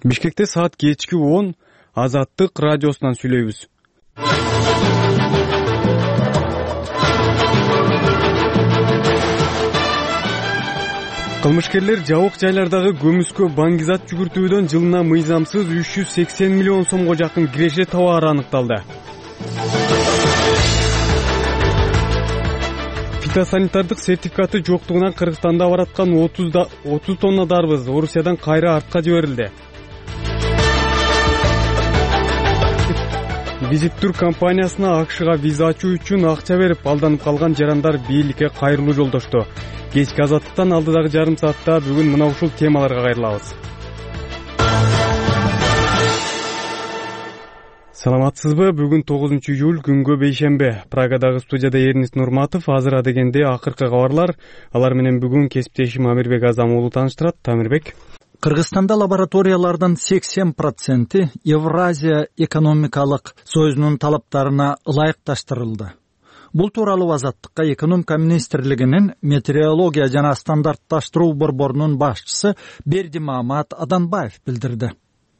Бишкекте саат кечки 10 Азаттык радиосунан сүйлөйбүз. Кылмышкерлер жабык жайлардагы көмүскө баңгизат жүгүртүүдөн жылына мыйзамсыз 380 миллион сомго жакын киреше табаары аныкталды. Фитосанитардык сертификаты жоктугунан Кыргызстанда бараткан 30 тонна дарбыз Орусиядан кайра артка жиберилди. Визиттур компаниясына АКШга виза ачуу үчүн акча берип алданып калган жарандар бийликке кайрылуу жолдошту. Кечки Азаттыктан алдыдагы жарым саатта бүгүн мына ушул темаларга кайрылабыз. Саламатсызбы? Бүгүн 9 июль күнгө бейшембе. Прагадагы студияда Эрнис Нурматов. Азыр адегенде акыркы кабарлар. Алар менен бүгүн кесиптешим Амирбек Азам уулу тааныштырат. Амирбек. Кыргызстанда лабораториялардын 80% Евразия экономикалык союзунун талаптарына ылайыкташтырылды. Бул тууралуу Азаттыкка экономика министрлигинин метеорология жана стандартташтыруу борборунун башчысы Бердимамат Аданбаев билдирди.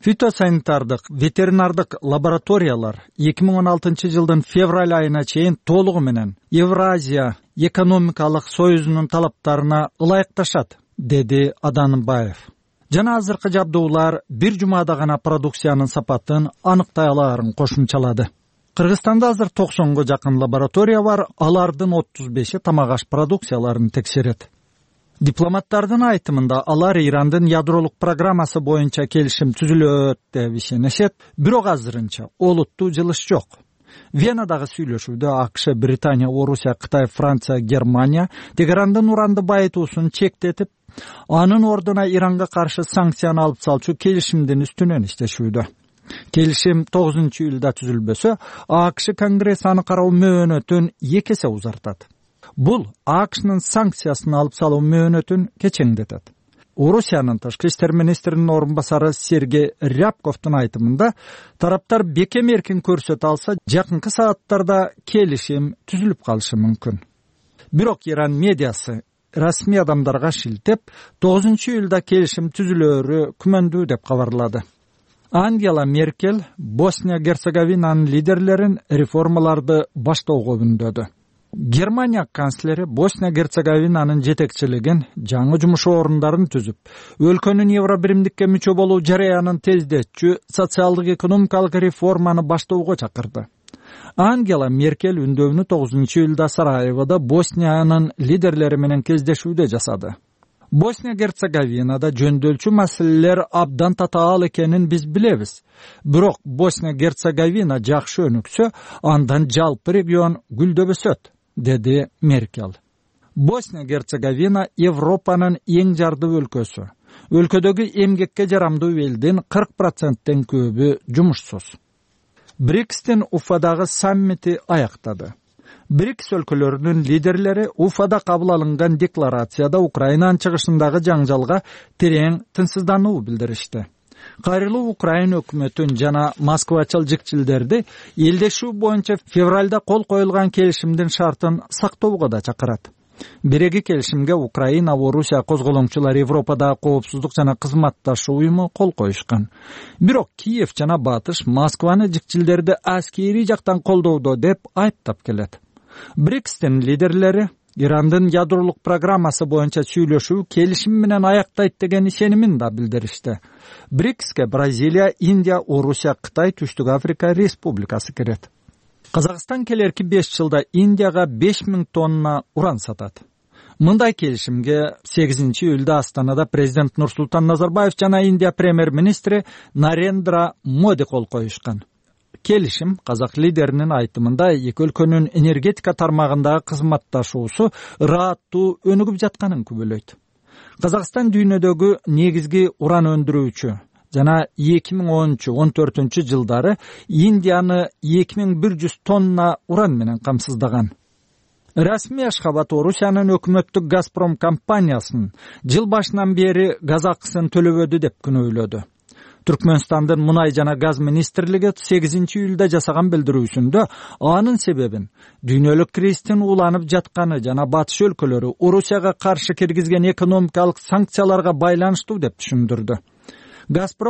Фитосанитардык ветеринардык лабораториялар 2016 жылдын февраль айына чейин толугу менен Евразия экономикалык союзунун талаптарына ылайыкташат, деди Аданбаев. Жана азыркы жабдуулар бир жумада гана продукциянын сапатын аныктай алаарын кошумчалады. Кыргызстанда азыр 90го жакын лаборатория бар, алардын 35-и тамак аш продукцияларын текшерет. Дипломаттардын айтымында алар Ирандын ядролук программасы боюнча келишим түзүлөт деп ишенишет, бирок азырынча олуттуу жылыш жок. Венадагы сүйлөшүүдө АКШ, Британия, Орусия, Кытай, Франция, Германия Тегерандын уранды байытуусун чектетип, анын ордуна Иранга каршы санкцияны алып салчу келишимдин үстүнөн иштешүүдө. Келишим 9 июлда түзүлбөсө, АКШ Конгресс аны кароо мөөнөтүн 2 эсе узартат. Бул АКШнын санкциясын алып салуу мөөнөтүн кечеңдетет. Орусиянын тышкы иштер министринин орун басары Сергей Рябковдун айтымында, тараптар бекем эркин көрсөтө алса, жакынкы сааттарда келишим түзүлүп калышы мүмкүн. Бирок Иран медиасы расмий адамдарга шилтеп, 9 июлда келишим түзүлөрү күмөндүү деп кабарлады. Ангела Меркель Босния-Герцеговинанын лидерлерин реформаларды баштоого үндөдү. Германия канцлери Босния-Герцеговинанын жетекчилигин жаңы жумуш орундарын түзүп, өлкөнүн Евробиримдикке мүчө болуу жараянын тездетчү социалдык экономикалык реформаны баштоого чакырды. Ангела Меркель үндөөнү 9 июлда Сараевода Босниянын лидерлери менен кездешүүдө жасады. Босния-Герцеговинада жөндөөлчү маселелер абдан татаал экенин биз билебиз. Бирок Босния-Герцеговина жакшы өнүксө, андан жалпы регион гүлдөп өсөт, деди Меркель. Босния-Герцеговина Европанын эң жардуу өлкөсү. Өлкөдөгү эмгекке жарамдуу элдин 40%тен көбү жумушсуз. БРИКСтин Уфадагы саммити аяктады. БРИКС өлкөлөрүнүн лидерлери Уфада кабыл алынган декларацияда Украинанын чыгышындагы жаңжалга терең тынчсыздануу билдиришти. Кайрылуу Украина өкмөтүн жана Москвачыл жикчилдерди элдешүү боюнча февралда кол коюлган келишимдин шартын сактоого да чакырат. Биреги келишимге Украина, Орусия козголоңчулар Европадагы коопсуздук жана кызматташуу уюму кол коюшкан. Бирок Киев жана Батыш Москваны жикчилдерди аскери жактан колдоодо деп айыптап келет. БРИКСтин лидерлери Ирандын ядролук программасы боюнча сүйлөшүү келишим менен аяктайт деген ишенимин да билдиришти. БРИКСке Бразилия, Индия, Орусия, Кытай, Түштүк Африка Республикасы кирет. Казакстан келерки 5 жылда Индияга 5000 тонна уран сатат. Мындай келишимге 8 июлда Астанада президент Нурсултан Назарбаев жана Индия премьер-министри Нарендра Моди кол коюшкан. Келишим казак лидеринин айтымында эки өлкөнүн энергетика тармагындагы кызматташуусу ырааттуу өнүгүп жатканын күбөлөйт. Казакстан дүйнөдөгү негизги уран өндүрүүчү жана 2013-14 жылдары Индияны 2100 тонна уран менен камсыздаган. Расмий Ашхабад Орусиянын өкмөттүк Газпром компаниясынын жыл башынан бери газ акысын төлөбөдү деп күнөөлөдү. Түркмөнстандын мунай жана газ министрлиги 8 июлда жасаган билдирүүсүндө анын себебин дүйнөлүк кризистин уланып жатканы жана батыш өлкөлөрү Орусияга каршы киргизген экономикалык санкцияларга байланыштуу деп түшүндүрдү. Газпром